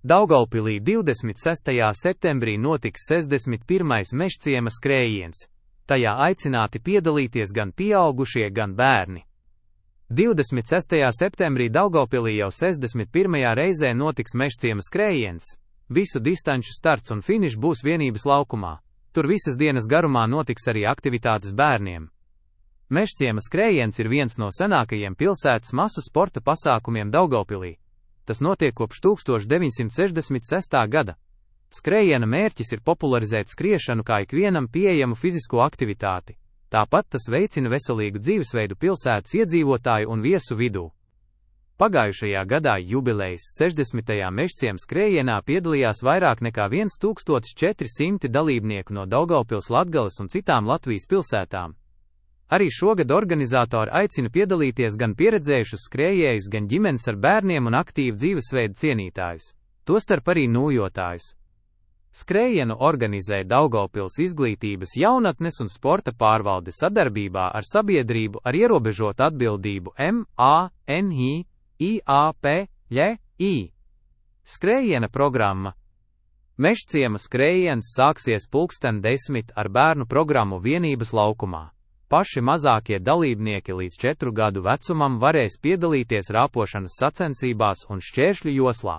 Daugavpilī 26. septembrī notiks 61. Mežciema skrējiens. Tajā aicināti piedalīties gan pieaugušie, gan bērni. 26. septembrī Daugavpilī jau 61. reizē notiks Mežciema skrējiens. Visu distanču starts un finišs būs Vienības laukumā. Tur visas dienas garumā notiks arī aktivitātes bērniem. Mežciema skrējiens ir viens no senākajiem pilsētas masu sporta pasākumiem Daugavpilī. Tas notiek kopš 1966. gada. Skrējiena mērķis ir popularizēt skriešanu kā ikvienam pieejamu fizisko aktivitāti. Tāpat tas veicina veselīgu dzīvesveidu pilsētas iedzīvotāju un viesu vidū. Pagājušajā gadā jubilejas 60. Mežciema skrējienā piedalījās vairāk nekā 1400 dalībnieku no Daugavpils, Latgales un citām Latvijas pilsētām. Arī šogad organizatori aicina piedalīties gan pieredzējušus skrējējus, gan ģimenes ar bērniem un aktīvu dzīvesveidu cienītājus, tostarp arī nūjotājus. Skrējienu organizē Daugavpils Izglītības, jaunatnes un sporta pārvalde sadarbībā ar sabiedrību ar ierobežotu atbildību MANHIIAPLI. Skrējiena programma. Mežciema skrējiens sāksies 10:00 ar bērnu programmu Vienības laukumā. Paši mazākie dalībnieki līdz 4 gadu vecumam varēs piedalīties rāpošanas sacensībās un šķēršļu joslā.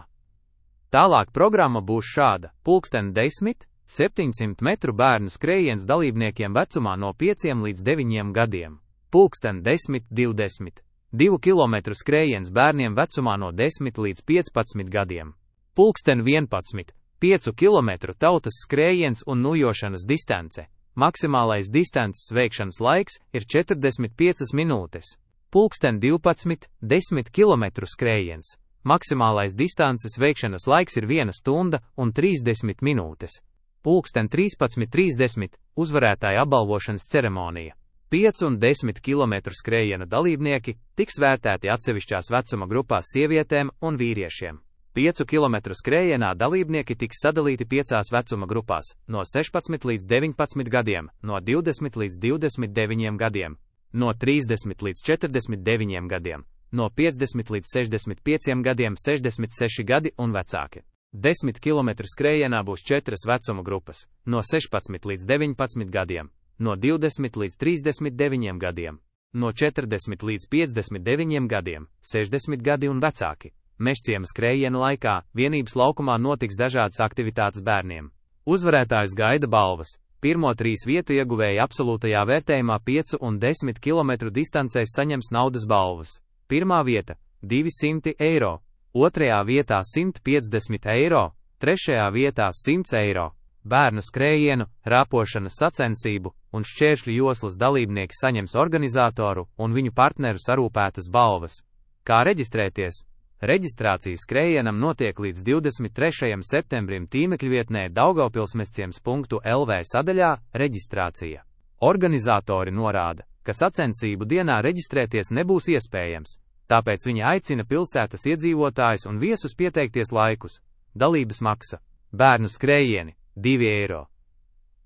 Tālāk programma būs šāda: 10:00 700 metru bērnu skrējiens dalībniekiem vecumā no 5 līdz 9 gadiem, 10:20 2 km skrējiens bērniem vecumā no 10 līdz 15 gadiem, 11:00 5 km tautas skrējiens un nūjošanas distance. Maksimālais distances veikšanas laiks ir 45 minūtes. 12:00 10 km skrējiens. Maksimālais distances veikšanas laiks ir 1 stunda un 30 minūtes. 13:30 uzvarētāja apbalvošanas ceremonija. 5 un 10 km skrējiena dalībnieki tiks vērtēti atsevišķās vecuma grupās sievietēm un vīriešiem. 5 km skrējienā dalībnieki tiks sadalīti 5 vecuma grupās – no 16 līdz 19 gadiem, no 20 līdz 29 gadiem, no 30 līdz 49 gadiem, no 50 līdz 65 gadiem, 66 gadi un vecāki. 10 km skrējienā būs 4 vecuma grupas – no 16 līdz 19 gadiem, no 20 līdz 39 gadiem, no 40 līdz 59 gadiem, 60 gadi un vecāki. Mežciema skrējiena laikā Vienības laukumā notiks dažādas aktivitātes bērniem. Uzvarētājus gaida balvas. Pirmo 3 vietu ieguvēji absolūtajā vērtējumā 5 un 10 km distancēs saņems naudas balvas. Pirmā vieta – 200 eiro, otrajā vietā 150 eiro, trešajā vietā 100 eiro. Bērnu skrējienu, rāpošanas sacensību un šķēršļu joslas dalībnieki saņems organizatoru un viņu partneru sarūpētas balvas. Kā reģistrēties? Reģistrācija skrējienam notiek līdz 23. septembrim tīmekļvietnē daugavpilsmežciems.lv sadaļā Reģistrācija. Organizatori norāda, ka sacensību dienā reģistrēties nebūs iespējams, tāpēc viņi aicina pilsētas iedzīvotājus un viesus pieteikties laikus. Dalības maksa. Bērnu skrējieni – 2 eiro.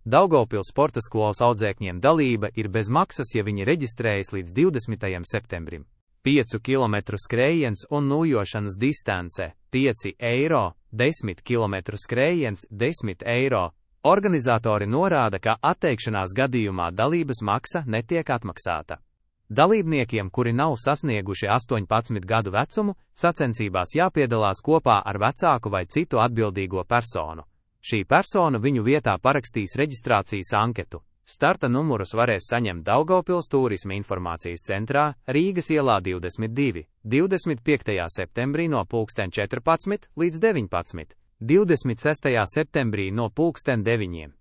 Daugavpils sporta skolas audzēkņiem dalība ir bez maksas, ja viņi reģistrējas līdz 20. septembrim. 5 km skrējiens un nūjošanas distance – 5 eiro, 10 km skrējiens – 10 eiro. Organizatori norāda, ka atteikšanās gadījumā dalības maksa netiek atmaksāta. Dalībniekiem, kuri nav sasnieguši 18 gadu vecumu, sacensībās jāpiedalās kopā ar vecāku vai citu atbildīgo personu. Šī persona viņu vietā parakstīs reģistrācijas anketu. Starta numurus varēs saņemt Daugavpils Tūrisma informācijas centrā, Rīgas ielā 22, 25. septembrī no 14 līdz 19, 26. septembrī no 9.